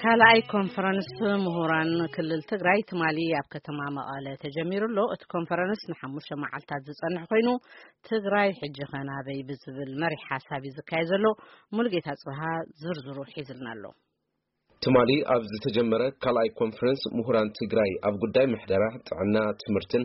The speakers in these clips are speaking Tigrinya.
ካልኣይ ኮንፈረንስ ምሁራን ክልል ትግራይ ትማሊ ኣብ ከተማ መቐለ ተጀሚሩ ኣሎ። እቲ ኮንፈረንስ ንሓሙሽተ መዓልታት ዝጸንሕ ኮይኑ፣ ትግራይ ሕጂ ኸ ናበይ ብዝብል መሪሕ ሓሳብ እዩ ዝካየድ ዘሎ። ሙሉጌታ ጽብሃ ዝርዝሩ ሒዝልና ኣሎ። ትማሊ ኣብ ዝተጀመረ ካልኣይ ኮንፈረንስ ምሁራን ትግራይ ኣብ ጉዳይ ምሕደራ፣ ጥዕና፣ ትምህርትን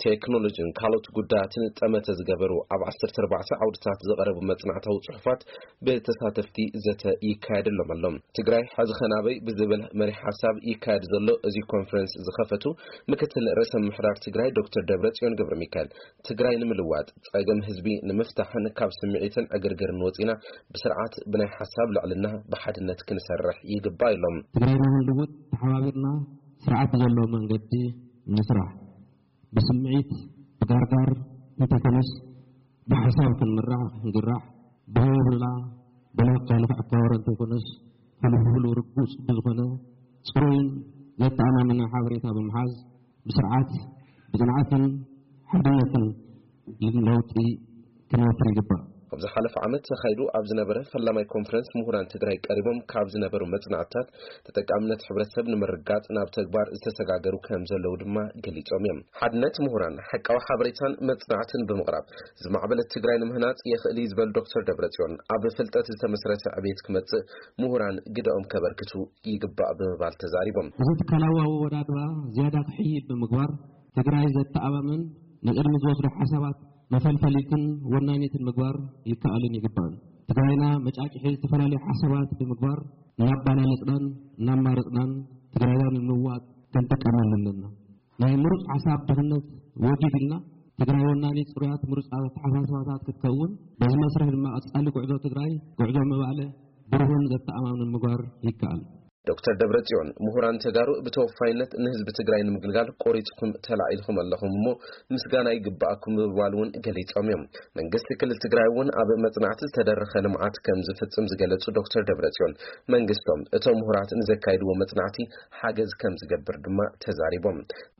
ቴክኖሎጂን ካልኦት ጉዳያትን ጠመተ ዝገበሩ ኣብ ዓሰርተ ኣርባዕተ ዓውድታት ዝቐረቡ መጽናዕታዊ ጽሑፋት ብተሳተፍቲ ዘተ ይካየደሎም ኣሎ። ትግራይ ሕዚ ኸ ናበይ ብዝብል መሪሕ ሓሳብ ይካየድ ዘሎ እዚ ኮንፈረንስ ዝኸፈቱ ምክትል ርእሰ ምምሕዳር ትግራይ ዶክተር ደብረጽዮን ገብረ ሚካኤል፣ ትግራይ ንምልዋጥ፣ ጸገም ህዝቢ ንምፍታሕን ካብ ስምዒትን ዕግርግርን ወጺና ብስርዓት ብናይ ሓሳብ ልዕልና ብሓድነት ክንሰርሕ ይግባእ ኢሎም። ትግራይና ክንልውጥ ተሓባቢርና ስርዓት ዘለዎ መንገዲ ንስራሕ። ብስምዒት ብጋርጋር እንተይኮነስ ብሓሳብ ክንምራሕ ክንግራሕ ብህብላ ብናይ ካልእ ኣካባቢ እንተይኮነስ ፍልፍሉ ርጉጽ ብዝኾነ ጽሩይን ዘተኣማምንን ሓበሬታ ብምሓዝ ብስርዓት ብጽንዓትን ሓድነትን ለውጢ ክንወፍር ይግባእ። ኣብ ዝሓለፈ ዓመት ተኻይዱ ኣብ ዝነበረ ፈላማይ ኮንፈረንስ ምሁራን ትግራይ ቀሪቦም ካብ ዝነበሩ መጽናዕትታት ተጠቃምነት ሕብረተሰብ ንምርጋጽ ናብ ተግባር ዝተሰጋገሩ ከም ዘለዉ ድማ ገሊጾም እዮም። ሓድነት ምሁራን ሓቃዊ ሓበሬታን መጽናዕትን ብምቕራብ ዝማዕበለት ትግራይ ንምህናጽ የኽእል እዩ ዝበሉ ዶክተር ደብረጽዮን፣ ኣብ ፍልጠት ዝተመስረተ ዕቤት ክመጽእ ምሁራን ግደኦም ከበርክቱ ይግባእ ብምባል ተዛሪቦም። እዚ ትካላዊ ኣወዳድባ ዝያዳ ክሕይል ብምግባር ትግራይ ዘተኣማምን ንቕድሚ ዝወስዱ ሓሳባት መፈልፈሊትን ወናኒትን ምግባር ይከኣልን ይግባእን። ትግራይና መጫጭሒ ዝተፈላለዩ ሓሳባት ብምግባር እናባላለጽናን እናማረጽናን ትግራይና ንምልዋጥ ክንጥቀመሉ ኣለና። ናይ ምሩጽ ሓሳብ ድኽነት ወጊድ ኢልና ትግራይ ወናኒ ጽሩያት ምሩጻት ኣተሓሳስባታት ክትከውን በዚ መስርሕ ድማ ቀጻሊ ጉዕዞ ትግራይ ጉዕዞ ምባለ ብሩህን ዘተኣማምንን ምግባር ይከኣል። ዶክተር ደብረጽዮን ምሁራን ተጋሩ ብተወፋይነት ንህዝቢ ትግራይ ንምግልጋል ቆሪጽኩም ተላዒልኩም ኣለኹም እሞ ምስጋና ይግባኣኩም ብምባል እውን ገሊጾም እዮም። መንግስቲ ክልል ትግራይ እውን ኣብ መጽናዕቲ ዝተደረኸ ልምዓት ከም ዝፍጽም ዝገለጹ ዶክተር ደብረጽዮን መንግስቶም እቶም ምሁራት ንዘካይድዎ መጽናዕቲ ሓገዝ ከም ዝገብር ድማ ተዛሪቦም።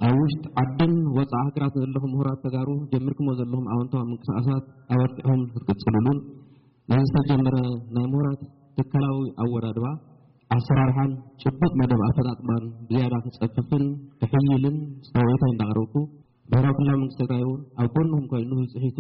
ኣብ ውሽጢ ዓድን ወጻኢ ሃገራት ዘለኹም ምሁራት ተጋሩ ጀሚርኩሞ ዘለኹም ኣወንታዊ ምንቅስቃሳት ኣበርቲዕኹም ክትቅጽሉሉን ነዚ ዝተጀመረ ናይ ምሁራት ትካላዊ ኣወዳድባ ኣሰራርሓን ጭቡጥ መደብ ኣፈጻጽማን ብዝያዳ ክጸፍፍን ክሕይልን ጻውዒተይ እንዳቕረብኩ፣ ብሄራዊ ክልላዊ መንግስቲ ትግራይ እውን ኣብ ጎንኹም ኮይኑ ብጽሒቱ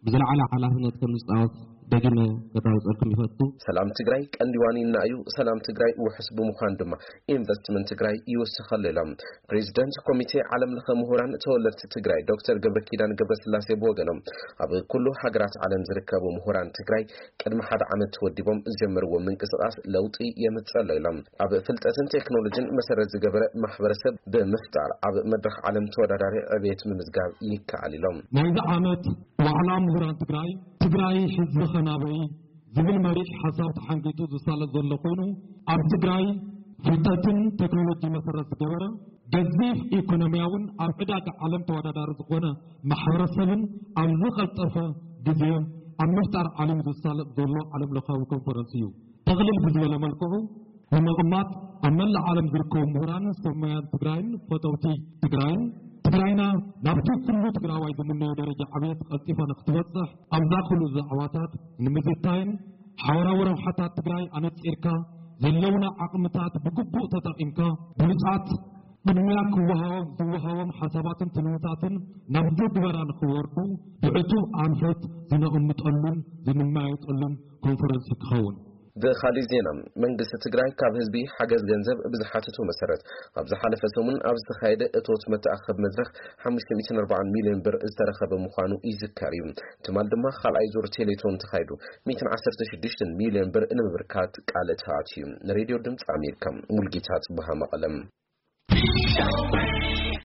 ብዝለዓለ ሓላፍነት ከም ዝጻወት ደጊመ ከረጋግጸልኩም ይፈቱ። ሰላም ትግራይ ቀንዲ ዋኒና እዩ። ሰላም ትግራይ ውሑስ ብምዃን ድማ ኢንቨስትመንት ትግራይ ይውስኸሉ ኢሎም ፕሬዚደንት ኮሚቴ ዓለም ለኸ ምሁራን ተወለድቲ ትግራይ ዶክተር ገብረ ኪዳን ገብረስላሴ ብወገኖም፣ ኣብ ኩሉ ሃገራት ዓለም ዝርከቡ ምሁራን ትግራይ ቅድሚ ሓደ ዓመት ተወዲቦም ዝጀመርዎ ምንቅስቃስ ለውጢ የምፅእ ኣሎ ኢሎም። ኣብ ፍልጠትን ቴክኖሎጂን መሰረት ዝገበረ ማሕበረሰብ ብምፍጣር ኣብ መድረኽ ዓለም ተወዳዳሪ ዕቤት ምምዝጋብ ይከኣል ኢሎም። ናይዚ ዓመት ዋዕላ ምሁራን ትግራይ፣ ትግራይ ሕዚ ኸ ናበይ ዝብል መሪሕ ሓሳብ ተሓንጊጡ ዝሳለጥ ዘሎ ኮይኑ፣ ኣብ ትግራይ ፍልጠትን ቴክኖሎጂ መሰረት ዝገበረ ገዚፍ ኢኮኖሚያውን ኣብ ዕዳጋ ዓለም ተወዳዳሪ ዝኾነ ማሕበረሰብን ኣብ ዝቐልጠፈ ግዜ ኣብ ምፍጣር ዓለም ዝሳለጥ ዘሎ ዓለም ለኻዊ ኮንፈረንስ እዩ። ጠቕልል ብዝበለ መልክዑ ንምቕማጥ ኣብ መላእ ዓለም ዝርከቡ ምሁራንን ሰብ ሞያን ትግራይን ፈተውቲ ትግራይን ትግራይና ናብቲ ኩሉ ትግራዋይ ዝምነዮ ደረጃ ዕብየት ቀልጢፋ ንክትበፅሕ ኣብዛ ኩሉ ዛዕባታት ንምዝታይን ሓበራዊ ረብሓታት ትግራይ ኣነፂርካ ዘለውና ዓቕምታት ብግቡእ ተጠቒምካ ብሉፃት ቅድሚያ ክወሃቦም ዝወሃቦም ሓሳባትን ትልምታትን ናብ ትግበራ ንክወርዱ ብዕቱብ ኣንፈት ዝነቕምጠሉን ዝንመያየጠሉን ኮንፈረንስ ክኸውን። ብኻሊእ ዜና፣ መንግስቲ ትግራይ ካብ ህዝቢ ሓገዝ ገንዘብ ብዝሓተቶ መሰረት ኣብ ዝሓለፈ ሰሙን ኣብ ዝተኻየደ እቶት መተኣኸቢ መድረኽ ሓሙሽተ ሚእትን ኣርባዓን ሚልዮን ብር ዝተረኸበ ምዃኑ ይዝከር እዩ። ትማል ድማ ካልኣይ ዙር ቴሌቶን ተኻይዱ ሚእትን ዓሰርተ ሽዱሽተን ሚልዮን ብር ንምብርካት ቃል ተኣትዩ። ንሬድዮ ድምፂ ኣሜሪካ ሙልጌታ ጽብሃ መቐለም።